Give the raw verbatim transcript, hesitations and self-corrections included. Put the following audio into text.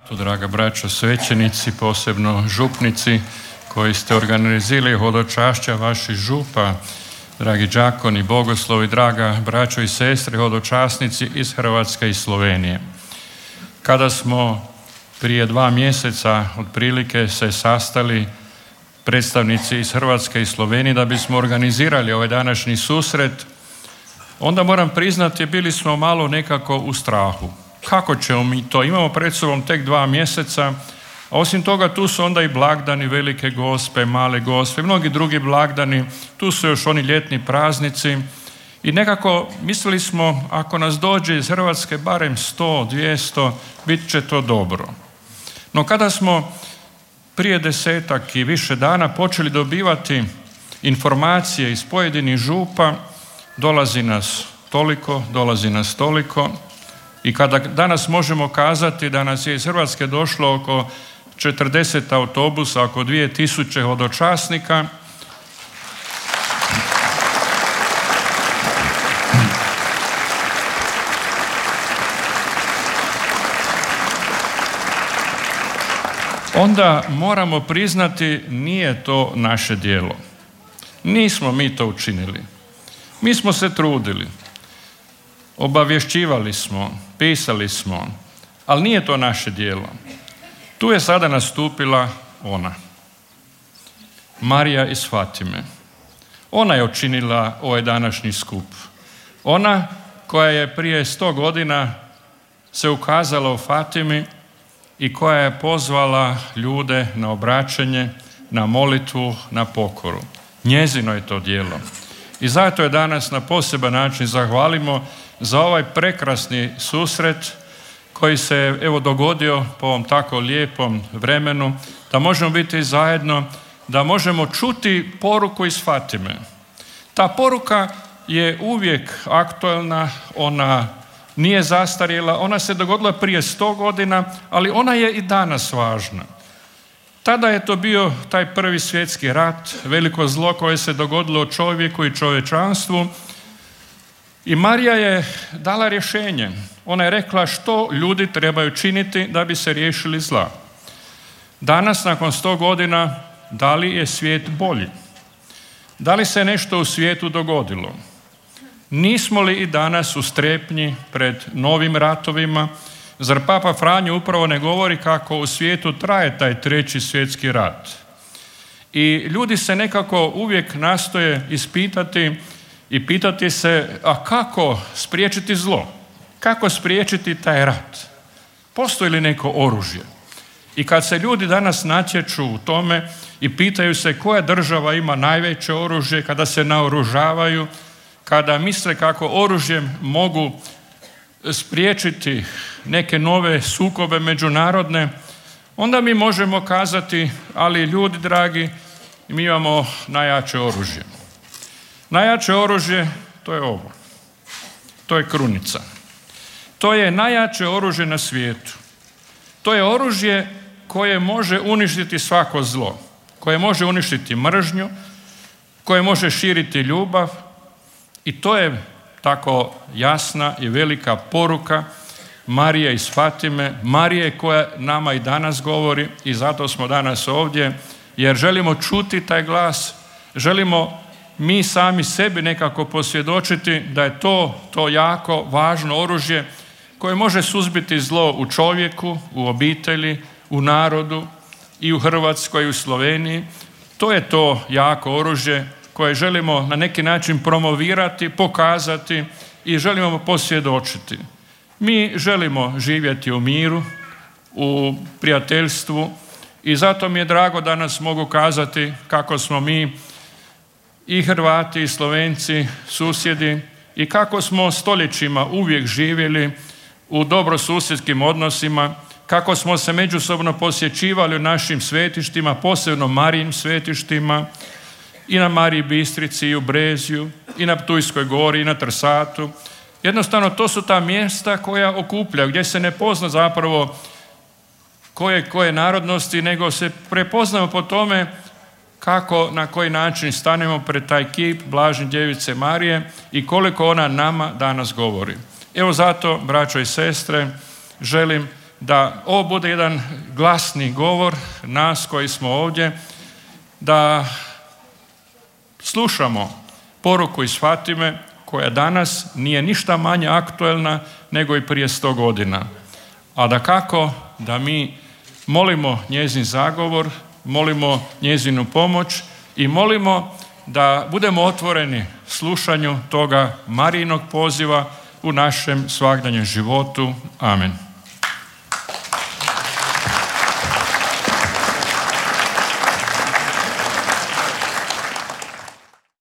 to, draga braćo svećenici, posebno župnici koji ste organizirali hodočašća vaših župa, dragi đakoni, bogoslovi, draga braćo i sestre, hodočasnici iz Hrvatske i Slovenije. Kada smo prije dva mjeseca otprilike se sastali predstavnici iz Hrvatske i Slovenije da bismo organizirali ovaj današnji susret, onda moram priznati bili smo malo nekako u strahu. Kako ćemo mi to? Imamo pred sobom tek dva mjeseca, a osim toga tu su onda i blagdani Velike Gospe, Male Gospe, mnogi drugi blagdani, tu su još oni ljetni praznici i nekako mislili smo ako nas dođe iz Hrvatske barem sto, dvjesto, bit će to dobro. No kada smo prije desetak i više dana počeli dobivati informacije iz pojedinih župa, dolazi nas toliko, dolazi nas toliko i kada danas možemo kazati da nas je iz Hrvatske došlo oko četrdeset autobusa, oko dvije tisuće hodočasnika, onda moramo priznati nije to naše djelo. Nismo mi to učinili. Mi smo se trudili. Obavješćivali smo, pisali smo, ali nije to naše djelo. Tu je sada nastupila ona. Marija iz Fatime. Ona je učinila ovaj današnji skup. Ona koja je prije sto godina se ukazala u Fatimi i koja je pozvala ljude na obraćanje, na molitvu, na pokoru. Njezino je to djelo. I zato je danas na poseban način zahvalimo za ovaj prekrasni susret koji se evo dogodio po ovom tako lijepom vremenu, da možemo biti zajedno, da možemo čuti poruku iz Fatime. Ta poruka je uvijek aktualna, ona nije zastarjela, ona se dogodila prije sto godina, ali ona je i danas važna. Tada je to bio taj prvi svjetski rat, veliko zlo koje se dogodilo čovjeku i čovječanstvu i Marija je dala rješenje. Ona je rekla što ljudi trebaju činiti da bi se riješili zla. Danas, nakon sto godina, da li je svijet bolji? Da li se nešto u svijetu dogodilo? Nismo li i danas u strepnji pred novim ratovima? Zar Papa Franjo upravo ne govori kako u svijetu traje taj treći svjetski rat? I ljudi se nekako uvijek nastoje ispitati i pitati se, a kako spriječiti zlo? Kako spriječiti taj rat? Postoji li neko oružje? I kad se ljudi danas natječu u tome i pitaju se koja država ima najveće oružje, kada se naoružavaju, kada misle kako oružjem mogu spriječiti neke nove sukobe međunarodne, onda mi možemo kazati, ali ljudi dragi, mi imamo najjače oružje. Najjače oružje, to je ovo. To je krunica. To je najjače oružje na svijetu. To je oružje koje može uništiti svako zlo, koje može uništiti mržnju, koje može širiti ljubav i to je tako jasna i velika poruka Marije iz Fatime, Marije koja nama i danas govori i zato smo danas ovdje, jer želimo čuti taj glas, želimo mi sami sebi nekako posvjedočiti da je to, to jako važno oružje koje može suzbiti zlo u čovjeku, u obitelji, u narodu i u Hrvatskoj i u Sloveniji. To je to jako oružje koje želimo na neki način promovirati, pokazati i želimo posvjedočiti. Mi želimo živjeti u miru, u prijateljstvu i zato mi je drago danas mogu kazati kako smo mi i Hrvati i Slovenci susjedi i kako smo stoljećima uvijek živjeli u dobrosusjedskim odnosima, kako smo se međusobno posjećivali u našim svetištima, posebno Marijim svetištima, i na Mariji Bistrici, i u Brezju, i na Ptujskoj gori, i na Trsatu. Jednostavno, to su ta mjesta koja okupljaju, gdje se ne pozna zapravo koje, koje narodnosti, nego se prepoznamo po tome kako, na koji način stanemo pred taj kip Blažene djevice Marije i koliko ona nama danas govori. Evo zato, braćo i sestre, želim da ovo bude jedan glasni govor nas koji smo ovdje, da slušamo poruku iz Fatime koja danas nije ništa manje aktuelna nego i prije sto godina. A da kako da mi molimo njezin zagovor, molimo njezinu pomoć i molimo da budemo otvoreni slušanju toga Marijinog poziva u našem svagdanjem životu. Amen.